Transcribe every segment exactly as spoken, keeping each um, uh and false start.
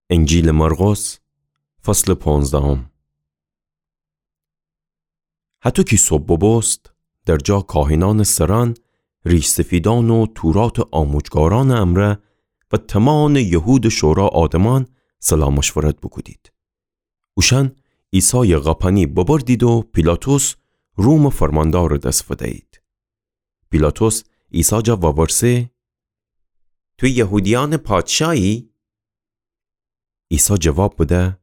انجیلٚ مرقس، فصلٚ پونزدهم. هطو کی صبح ببوست، در جا کاهنأنٚ سرأن، ریش‌سفیدأن و توراتٚ آموجگارأنٚ امرأ و تومامٚ یهودٚ شورا آدمأن صلاح مشورت بوکودید. اوشأن عیسایٚ قاپنی ببردید و پیلاطس رومٚ فرماندارٚ دس فدیید. پیلاطس عیسی جا وورسه: تو یهودیأنٚ پادشاهی؟ عیسی جواب بده: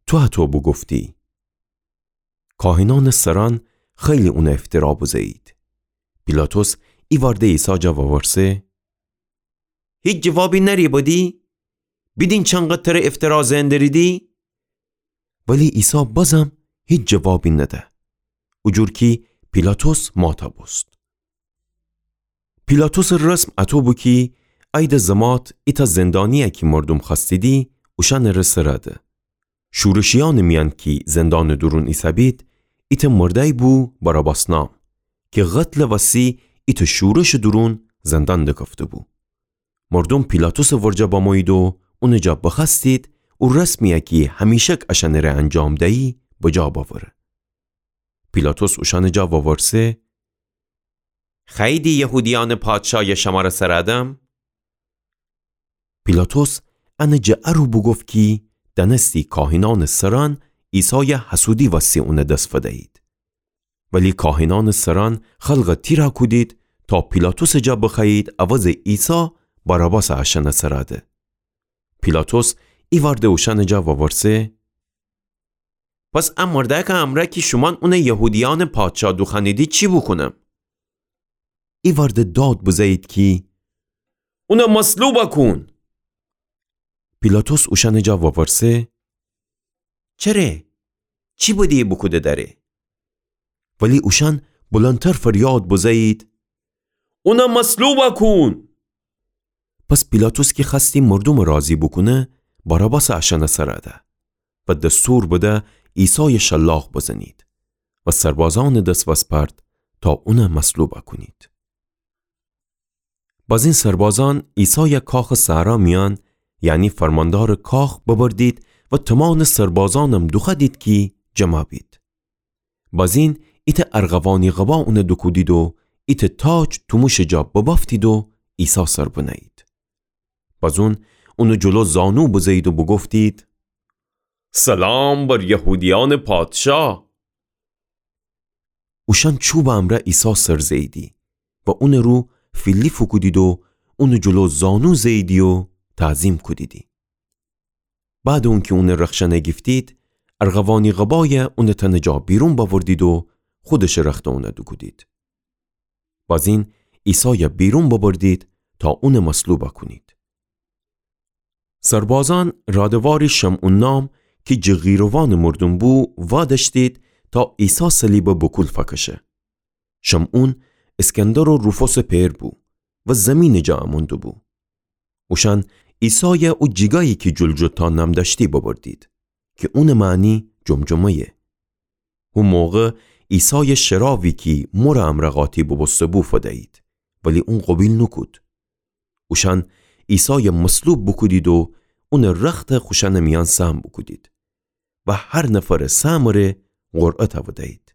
تو هطو بوگفتی. کاهنأنٚ سرأن خیلی اونَ افترا بزه‌یید. پیلاطس ایوأرده عیسی جا وورسه: هیچ جوابی نأری بدی؟ بیدین چنقدر تره افترا زئن دریدی؟ ولی عیسی بازم هیچ جوابی نده، او جور کی پیلاطس ماتا بوست. پیلاطسٚ رسم اطو بو کی ایده زمات ایتأ زندانی‌یی کی مردوم خوأستیدی، اوشأنٚ ره سرَ ده. شورشیأنٚ میأن کی زندانٚ دورون ایسه‌بید، ایتأ مردأیی بو باراباس نام، کی قتلٚ وسی ایتأ شورشٚ دورون زندان دکفته‌بو. مردوم پیلاطسٚ ورجه بمویید و اونٚ جا بخوأستید او رسمی‌یی کی همیشک اشأنٚ ره انجام دیی بجا بأوره. پیلاطس اوشأنٚ جا وورسه: خوأییدی یهودیأنٚ پادشایَ شمره سرَ دم؟ پیلاطس انه جٚه ا رو بوگفت کی دأنستی کاهنأنٚ سرأن عیسایَ حسودی وسی اونٚ دس فدیید. ولی کاهنأنٚ سرأن خلقَ تیرَ کودید تا پیلاطسٚ جا بخوأیید عوضٚ عیسی باراباسَ اشأنٚ سرَ ده. پیلاطس ایوأرده اوشأنٚ جا وورسه: پس ا مردأکٚ امرأ کی شومأن اونَ یهودیأنٚ پادشا دوخوأنیدی چی بوکونم؟ ایوأرده داد بزه‌یید کی اونَ مصلوبَ کون! پیلاطس اوشأنٚ جا وورسه: چره؟ چی بده‌یی بوکوده دره؟ ولی اوشأن بلندتر فریاد بزه‌یید: اونَ مصلوبَ کون! پس پیلاطس کی خوأستی مردومَ راضی بوکونه، باراباسَ اشأنٚ سرَ ده و دستور بده عیسایَ شلاق بزنید و سربازأنٚ دس وسپرد تا اونَ مصلوبَ کونید. بازین سربازأن عیسایَ کاخٚ صحرا میأن، یعنی فرماندارٚ کاخ، ببردید و تومامٚ سربازأنم دوخوأدید کی جمع بید. بازین ایتأ ارغوانی قبا اونَ دوکودید و ایتأ تاج توموشٚ جا ببأفتید و عیسی سر بنه‌یید. بازون اونٚ جلو زانو بزه‌یید و بوگفتید: سلام بر یهودیأنٚ پادشا! اوشأن چوبٚ امرأ عیسی سر زه‌ییدی و اونٚ رو فیلی فوکودید و اونٚ جلو زانو زه‌ییدی و تعظیم کودیدی. بعدٚ اونکی اونٚ رخشنَ گیفتید، ارغوانی قبایَ اونٚ تنٚ جا بیرون بأوردید و خودشٚ رختَ اونَ دوکودید. بازین عیسایَ بیرون ببردید تا اونَ مصلوبَ کونید. سربازأن رادواری شمعون نام کی جٚه قیروانٚ مردوم بو وادأشتید تا عیسی صلیبَ بوکول فکشه. شمعون اسکندر و روفوسٚ پئر بو و زیمینٚ جا امون دوبو. اوشأن عیسایَ او جیگایی کی جلجلتا نام دأشتی ببردید، کی اونٚ معنی جمجمه‌یه. هو موقع عیسایَ شرابی کی مرٚ امرأ قاطی بوبوسته‌بو فدیید، ولی اون قوبیل نوکود. اوشأن عیسایَ مصلوب بوکودید و اونٚ رختَ خوشأنٚ میأن سهم بوکودید و هر نفرٚ سهمٚ ره قرعه تأودیید.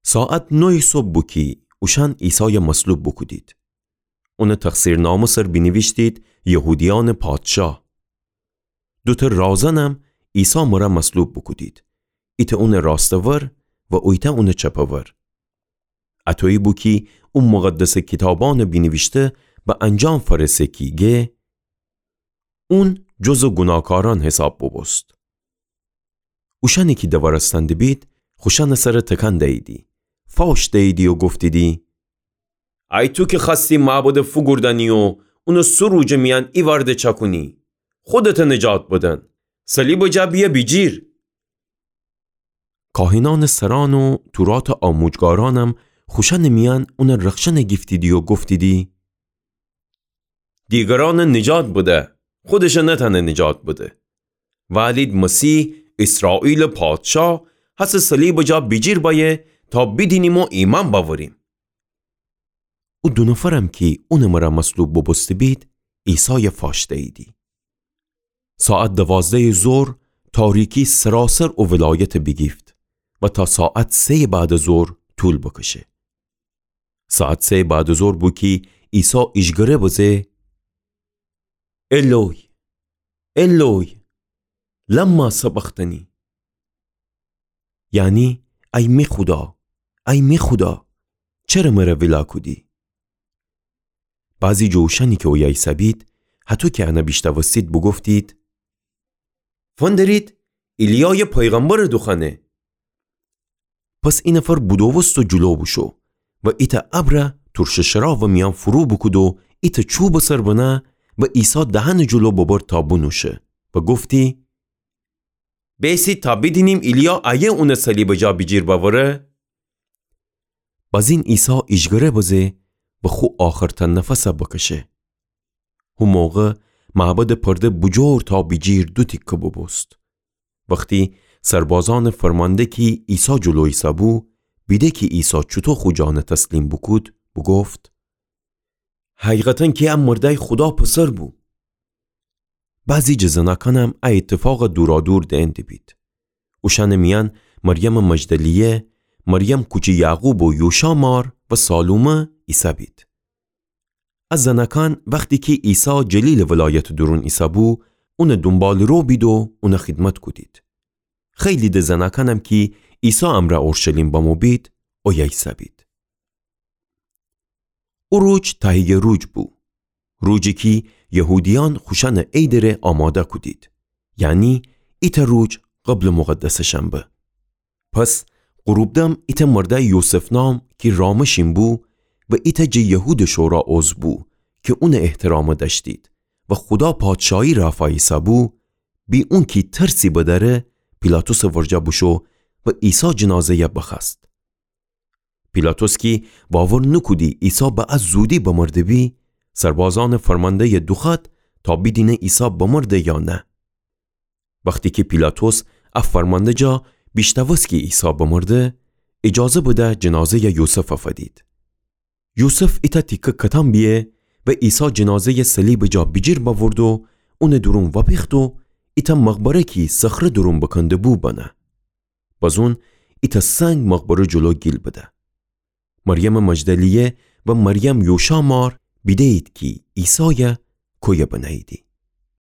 ساعت نویٚ صبح بو کی اوشأن عیسایَ مصلوب بوکودید. اونٚ تقصیرنامه سر بینیویشتید: یهودیأنٚ پادشا. دوتأ رازنم عیسی مرأ مصلوب بوکودید، ایتأ اونٚ راستٚ ور و اویتأ اونٚ چپٚ ور. اطویی بو کی او مقدسٚ کیتابأنٚ بینیویشته به انجام فأرسه کی گه: اون جزٚ گوناکارأن حساب بوبوست. اوشأنی کی دوارستن دبید، خوشأنٚ سر تکان دییدی، فاوش دییدی و گفتیدی: ای تو کی خوأستی معبدَ فوگوردأنی و اونٚ سه روجٚ میأن ایوأرده چأکونی، خودتَ نجات بدن، صلیبٚ جا بیأ بیجیر. کاهنأنٚ سرأن و توراتٚ آموجگارأنم خوشأنٚ میأن اونٚ رخشنَ گیفتیدی و گفتیدی: دیگرأنَ نجات بده، خودشَ نتأنه نجات بده. وألید مسیح، ایسرائیلٚ پادشا، هسه صلیبٚ جا بیجیر بأیه تا بیدینیم و ایمأن بأوریم. او دو نفرم کی اونٚ مرأ مصلوب بوبوسته‌بید، عیسایَ فاش دییدی. ساعت دوازدهٚ ظهر تاریکی سراسر او ولایت بیگیفت و تا ساعت سهٚ بعدٚ ظهر طول بکشه. ساعت سهٚ بعدٚ ظهر بو کی عیسی ایجگره بزه: الوی، الوی، لما سبقتنی؟ یعنی، ای می خودا، ای می خودا، چره مره ویلا کودی؟ بعضی جٚه اوشأنی کی اویه ایسه‌بید، هطو کی انه بیشنوستید، بوگفتید: فندرید، ایلیایٚ پیغمبرٚ دوخوأنه. پس ای نفر بودووست و جلو بوشو و ایتأ ابر ترشٚ شرابٚ میأن فرو بوکود و ایتأ چوبٚ سر بنه و عیسی دهنٚ جلو ببرد تا بونوشه و گفتی: بیسید تا بیدینیم ایلیا ایه اونٚ صلیبٚ جا بیجیر بأوره؟ بازین عیسی ایجگره بزه و خو آخرتأ نفسه بکشه. هو موقع معبدٚ پرده بوجور تا بیجیر دو تیکه بوبوست. وختی سربازأنٚ فرمانده کی عیسی جلو ایسه‌بو، بیده کی عیسی چوطو خو جانه تسلیم بوکود، بوگفت: حقیقتاً کی ا مردأی خودا پسر بو. بعضی جٚه زنأکأنم ا ایتفاقه دورادور دئن دیبید. اوشأنٚ میأن مریمٚ مجدلیه، مریم کوچی یعقوب و یوشا مار و سالومه ایسه‌بید. ا زنأکأن وختی کی عیسی جلیلٚ ولایتٚ دورون ایسه‌بو، اونٚ دونباله‌رو بید و اونٚ خیدمت کودید. خیلی د زنأکأنم کی عیسی امرأ اورشلیم بمو بید، اویه ایسه‌بید. او روج تهیه روج بو. روجی کی یهودیأن خوشأنٚ عیدٚ ره آماده کودید. یعنی ایتأ روج قبلٚ مقدسٚ شنبه. پس غروبدم ایتأ مردأی یوسف نام کی رامشین بو و ایتأ جٚه یهودٚ شورا عضو بو کی اونٚ احترامه دأشتید و خودا پادشاهی رأفا ایسه‌بو، بی اونکی ترسی بدأره، پیلاطسٚ ورجه بوشو و عیسی جنازه‌یه بخوأست. پیلاطس کی باور نوکودی عیسی به ا زودی بمرده بی، سربازأنٚ فرمانده‌یه دوخوأد تا بیدینه عیسی بمرده یا نه. وختی کی پیلاطس ا فرمانده جا بیشنوست کی عیسی بمرده، ایجازه بده جنازه‌یه یوسفه فدید. یوسف ایتأ تیکه کتان بیه و عیسی جنازه‌یه صلیبٚ جا بیجیر بأورد و اونٚ دورون وأپیخت و ایتأ مقبره کی صخره دورون بکنده‌بو بنه. بازون ایتأ سنگ مقبره جلو گیل بده. مریمٚ مجدلیه و مریم یوشا مار بیده‌یید کی عیسایه کویه بنه‌ییدی.